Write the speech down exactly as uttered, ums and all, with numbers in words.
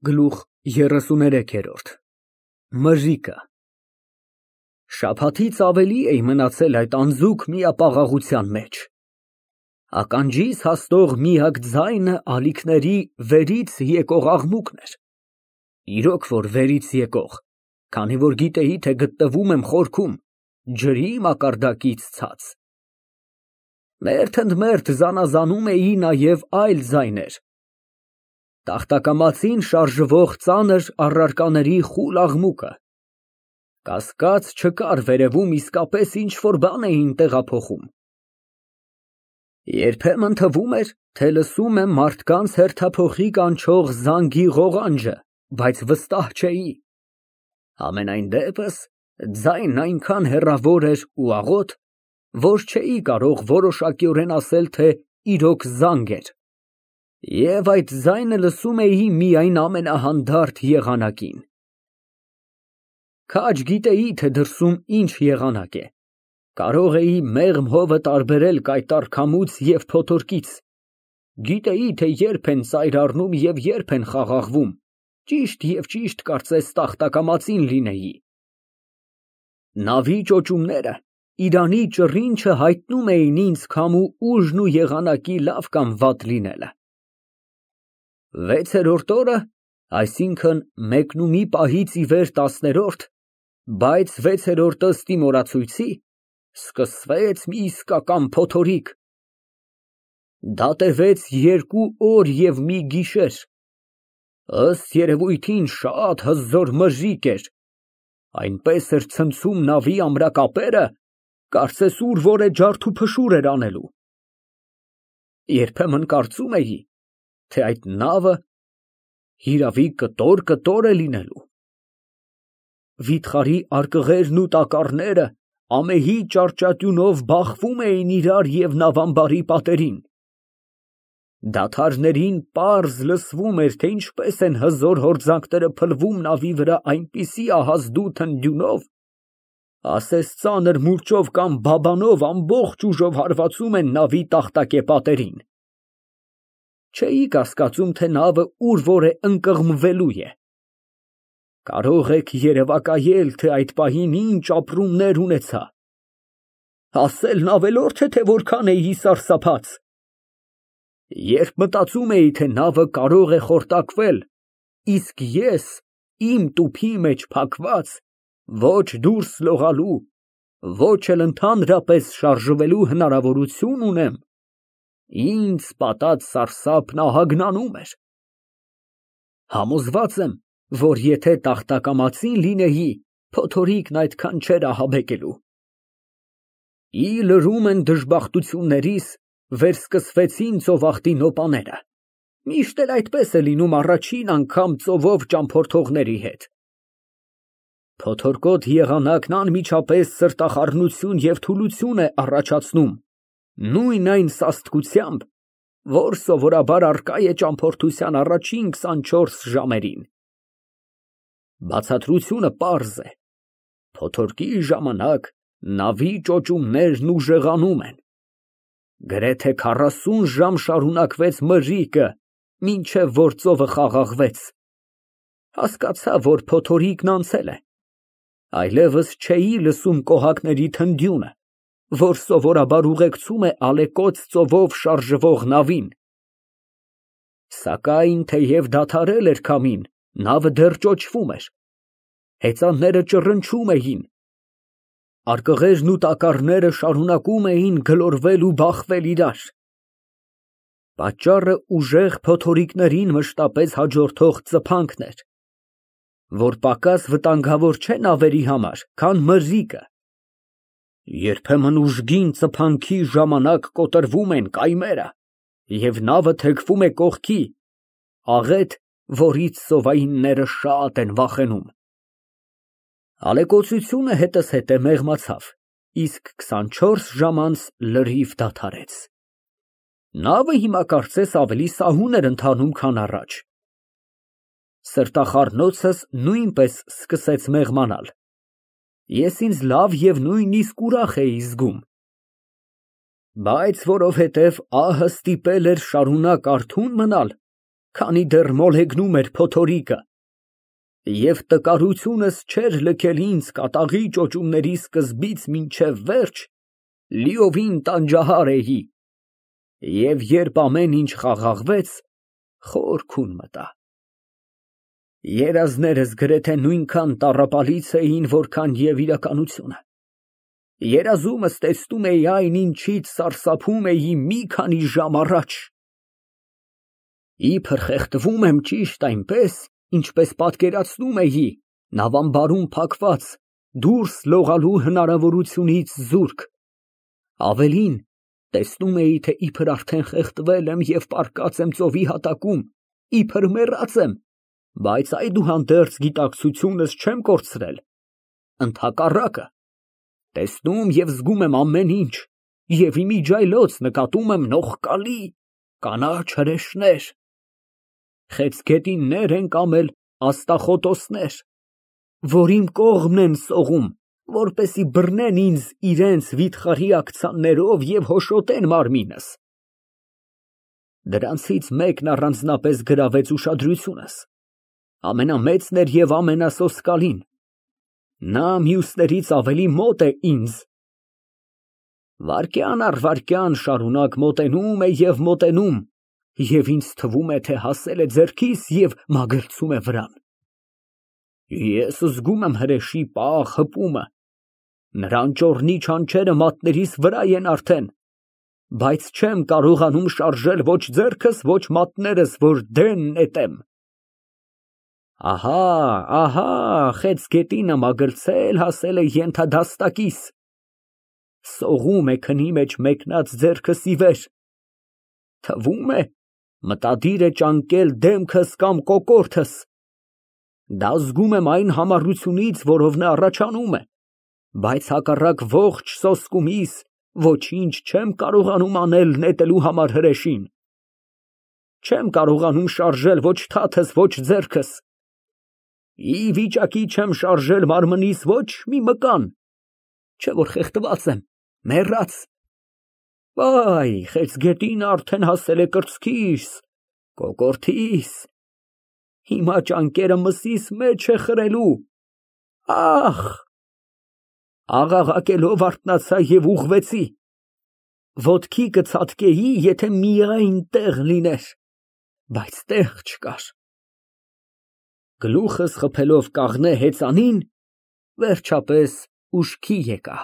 Գլուխ երեսուներեք։ Մրրիկը Շաբաթից ավելի էի մնացել այդ անձուկ միապաղաղության մեջ, ականջիս հասնող միակ ձայնը ալիքների վերից եկող աղմուկն էր, իրոք որ վերից եկող, քանի որ գիտեի, թե գտնվում եմ խորքում, ջրի մակարդակից ցած։ Մերթ ընդ մերթ զանազանում էի նաև այլ ձայներ, տախտակամածին շարժվող ծանր առարկաների խուլ աղմուկը, կասկած չկար վերևում իսկապես ինչ֊որ բան էին տեղափոխում։ Երբեմն թվում էր, թե լսում եմ մարդկանց հերթափոխի կանչող զանգի ղողանջը, բայց վստահ չէի։ Համենայն դեպս, ձայնն այնքան հեռավոր էր ու աղոտ, որ չէի կարող որոշակիորեն ասել, թե իրոք զանգ էր, և այդ ձայնը լսում էի միայն ամենահանդարտ եղանակին։ Քաջ գիտեի, թե դրսում ինչ եղանակ է, կարող էի մեղմ հովը տարբերել կայտառ քամուց և փոթորկից, գիտեի, թե երբ են ծայր առնում և երբ են խաղաղվում, ճիշտ և ճիշտ կարծես տախտակամածին լինեի։ Նավի ճոճումները Իրանի ճռինչը հայտնում էին ինձ քամու ուժն ու եղանակի լավ կամ վատ լինելը։ Վեցերորդ օրը, այսինքն մեկնումի պահից ի վեր տասներորդ, բայց վեցերորդը ըստ իմ օրացույցի, սկսվեց մի իսկական փոթորիկ։ Դա տևեց երկու օր և մի գիշեր, ըստ երևույթին շատ հզոր մրրիկ էր, այնպես էր ցնցում նավի ամրակապերը, կարծես ուր որ է ջարդուփշուր էր անելու։ Երբեմն կարծում էի, թե այդ նավը հիրավի կտոր֊կտոր է լինելու։ Վիթխարի արկղերն ու տակառները ամեհի ճարճատյունով բախվում էին իրար և նավամբարի պատերին։ Դադարներին պարզ լսվում էր, թե ինչպես են հզոր հորձանքները փլվում նավի վրա այնպիսի ահազդու թնդյունով, ասես ծանր մուրճով կամ բաբանով ամբողջ ուժով հարվածում են նավի տախտակե պատերին։ Չէի կասկածում, թե նավը ուր որ է ընկղմվելու է։ Կարող եք երևակայել, թե այդ պահին ինչ ապրումներ ունեցա, ասելն ավելորդ է, թե որքան էի սարսափած։ Երբ մտածում էի, թե նավը կարող է խորտակվել, իսկ ես, իմ տուփի մեջ փակված, ոչ դուրս լողալու, ոչ էլ ընդհանրապես շարժվելու հնարավորություն ունեմ, ինձ պատած սարսափն ահագնանում էր։ Համոզված եմ, որ եթե տախտակամածին լինեի, փոթորիկն այդքան չէր ահաբեկելու։ Ի լրում են դժբախտություններիս, վերսկսվեցին ծովախտի նոպաները, միշտ էլ այդպես է լինում առաջին անգամ ծովով ճամփորդողների հետ։ Փոթորկոտ եղանակն անմիջապես սրտախառնություն և թուլություն է առաջացնում, նույն այն սաստկությամբ, որ սովորաբար առկա է ճամփորդության առաջին քսանչորս ժամերին։ Բացատրությունը պարզ է. փոթորկի ժամանակ նավի ճոճումներն ուժեղանում են։ Գրեթե քառասուն ժամ շարունակվեց մրրիկը, մինչև որ ծովը խաղաղվեց։ Հասկացա, որ փոթորիկն անցել է, այլևս չէի լսում կոհակների թնդյունը, որ սովորաբար ուղեկցում է ալեկոծ ծովով շարժվող նավին։ Սակայն թեև դադարել էր քամին, նավը դեռ ճոճվում էր, հեծանները ճռնչում էին, արկղերն ու տակառները շարունակում էին գլորվել ու բախվել իրար։ Պատճառը ուժեղ փոթորիկներին մշտապես հաջորդող ծփանքն էր, որ պակաս վտանգավոր չէ նավերի համար, քան մրրիկը։ Երբեմն ուժգին ծփանքի ժամանակ կոտրվում են կայմերը, և նավը թեքվում է կողքի, աղետ, որից ծովայինները շատ են վախենում։ Ալեկոծությունը հետզհետե մեղմացավ, իսկ քսանչորս ժամ անց լրիվ դադարեց։ Նավը հիմա կարծես ավելի սահուն էր ընթանում, քան առաջ։ Սրտախառնոցս նույնպես սկսեց մեղմանալ, ես ինձ լավ և նույնիսկ ուրախ էի զգում։ Բայց որովհետև ահը ստիպել էր շարունակ արթուն մնալ, քանի դեռ մոլեգնում էր փոթորիկը, և տկարությունս չէր լքել ինձ կատաղի ճոճումների սկզբից մինչև վերջ, լիովին տանջահար էի, և երբ ամեն ինչ խաղաղվեց, խոր քուն մտա։ Երազներս գրեթե նույնքան տառապալից էին, որքան և իրականությունը։ Երազումս տեսնում էի այն, ինչից սարսափում էի մի քանի ժամ առաջ։ Իբր խեղդվում եմ ճիշտ այնպես, ինչպես պատկերացնում էի, նավամբարում փակված, դուրս լողալու հնարավորությունից զուրկ, ավելին, տեսնում էի, թե իբր արդեն խեղդվել եմ և պառկած եմ ծովի հատակում, իբր մեռած եմ, բայց այդուհանդերձ գիտակցությունս չեմ կորցրել, ընդհակառակը, տեսնում և զգում եմ ամեն ինչ, և իմիջիայլոց նկատում եմ նողկալի կանաչ հրեշներ, խեցգետիններ են կամել աստղախոտոսներ, որ իմ կողմն են սողում, որպեսզի բռնեն ինձ իրանց վիթխարի աքցաններով և հոշոտեն մարմինս։ Դրանցից մեկն առանձնապես գրավեց ուշադրությունս, ամենամեծն էր և ամենասոսկալին, նա մյուսներից ավելի մոտ է ինձ, վայրկյան առ վայրկյան շարունակ մոտենում է և մոտենում, և ինձ թվում է, թե հասել է ձեռքիս և մագլցում է վրան։ Ես զգում եմ հրեշի պաղ հպումը, նրա անճոռնի չանչերը մատներիս վրա են արդեն, բայց չեմ կարողանում շարժել ոչ ձեռքս, ոչ մատներս, որ դեն նետեմ։ Ահա, ահա, խեցգետինը մագլցել հասել է ենթադաստակիս, սողում է քնի մեջ մեկնած ձեռքս ի վեր, թվում է, մտադիր է ճանկել դեմքս կամ կոկորդս, դա զգում եմ այն համառությունից, որով նա առաջանում է, բայց հակառակ ողջ սոսկումիս ոչինչ չեմ կարողանում անել նետելու համար հրեշին, չեմ կարողանում շարժել ոչ թաթս, ոչ ձեռքս, ի վիճակի չեմ շարժել մարմնիս ոչ մի մկան, չէ որ խեղդված եմ, մեռած, վայ, խեցգետինը արդեն հասել է կրծքիս, կոկորդիս, հիմա ճանկերը մսիս մեջ է խրելու, ախ, աղաղակելով արթնացա և ուղղվեցի, ոտքի կցատկեի, եթե միայն տեղ լիներ, բայց տեղ չկար, գլուխս խփելով կաղնե հեծանին, վերջապես ուշքի եկա։